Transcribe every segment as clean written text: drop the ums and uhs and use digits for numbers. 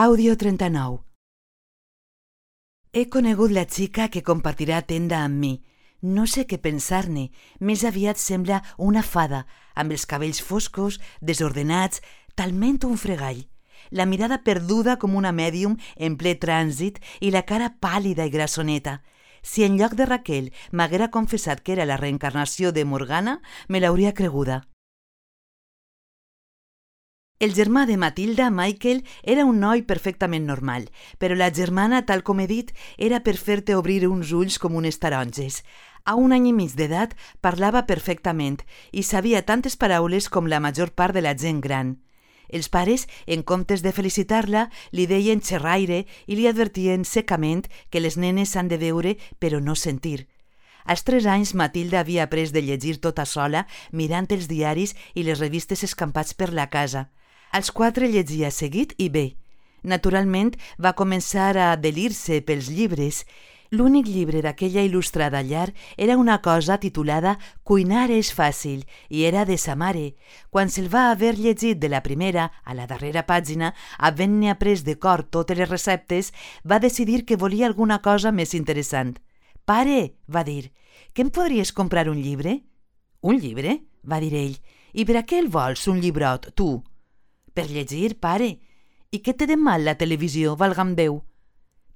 Àudio 39. He conegut la xica que compartirà tenda amb mi. No sé què pensar-ne, més aviat sembla una fada, amb els cabells foscos, desordenats, talment un fregall. La mirada perduda com una mèdium en ple trànsit i la cara pàl·lida i grassoneta. Si en lloc de Raquel m'haguera confessat que era la reencarnació de Morgana, me l'hauria creguda. El germà de Matilda, Michael, era un noi perfectament normal, però la germana, tal com he dit, era per fer-te obrir uns ulls com unes taronges. A 1 any i mig d'edat parlava perfectament i sabia tantes paraules com la major part de la gent gran. Els pares, en comptes de felicitar-la, li deien xerraire i li advertien secament que les nenes s'han de veure però no sentir. Als 3 anys, Matilda havia après de llegir tota sola, mirant els diaris i les revistes escampats per la casa. Als 4 llegia seguit i bé. Naturalment, va començar a delir-se pels llibres. L'únic llibre d'aquella il·lustrada llar era una cosa titulada «Cuinar és fàcil» i era de sa mare. Quan se'l va haver llegit de la primera a la darrera pàgina, havent-ne après de cor totes les receptes, va decidir que volia alguna cosa més interessant. «Pare», va dir, «que em podries comprar un llibre?» «Un llibre?», va dir ell. «I per a què el vols, un llibrot, tu?» «Per llegir, pare. I què té de mal la televisió, valga'm Déu?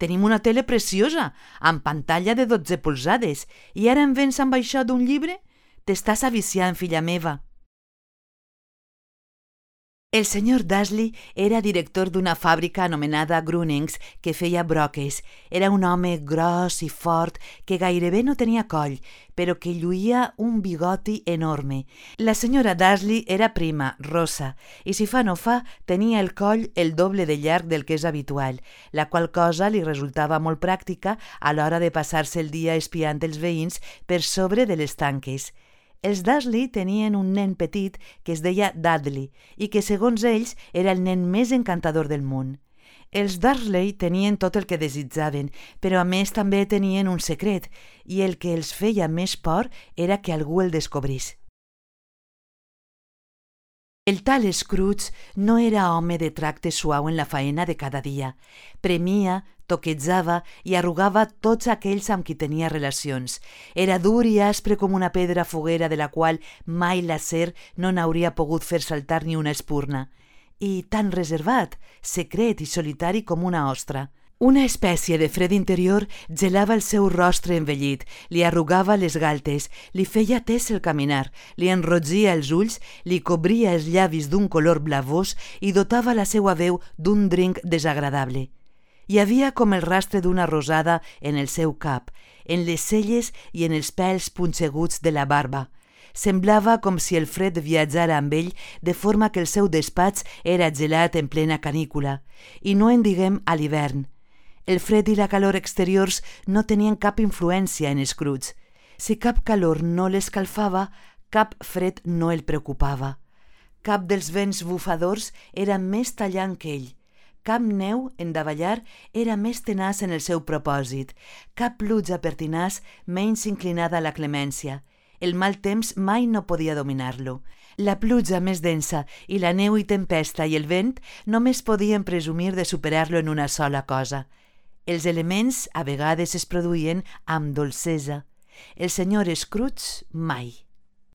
Tenim una tele preciosa, amb pantalla de 12 polzades, i ara em vens amb això d'un llibre? T'estàs aviciant, filla meva». El senyor Dursley era director d'una fàbrica anomenada Grunnings que feia broques. Era un home gros i fort que gairebé no tenia coll, però que lluïa un bigoti enorme. La senyora Dursley era prima, rossa, i si fa no fa, tenia el coll el doble de llarg del que és habitual, la qual cosa li resultava molt pràctica a l'hora de passar-se el dia espiant els veïns per sobre de les tanques. Els Dursley tenien un nen petit que es deia Dudley i que, segons ells, era el nen més encantador del món. Els Dursley tenien tot el que desitjaven, però a més també tenien un secret, i el que els feia més por era que algú el descobrís. El tal Scrooge no era home de tracte suau en la faena de cada dia. Premia, toquejava i arrugava tots aquells amb qui tenia relacions. Era dur i aspre com una pedra foguera de la qual mai l'acer no n'hauria pogut fer saltar ni una espurna. I tan reservat, secret i solitari com una ostra. Una espècie de fred interior gelava el seu rostre envellit, li arrugava les galtes, li feia tes el caminar, li enrogia els ulls, li cobria els llavis d'un color blavós i dotava la seua veu d'un drinc desagradable. Hi havia com el rastre d'una rosada en el seu cap, en les celles i en els pèls punxeguts de la barba. Semblava com si el fred viatjara amb ell, de forma que el seu despatx era gelat en plena canícula. I no en diguem a l'hivern. El fred i la calor exteriors no tenien cap influència en Scrooge. Si cap calor no l'escalfava, cap fred no el preocupava. Cap dels vents bufadors era més tallant que ell. Cap neu en davallar era més tenaç en el seu propòsit. Cap pluja pertinaç menys inclinada a la clemència. El mal temps mai no podia dominar-lo. La pluja més densa i la neu i tempesta i el vent només podien presumir de superar-lo en una sola cosa. Els elements a vegades es produïen amb dolcesa. El senyor Scrooge mai.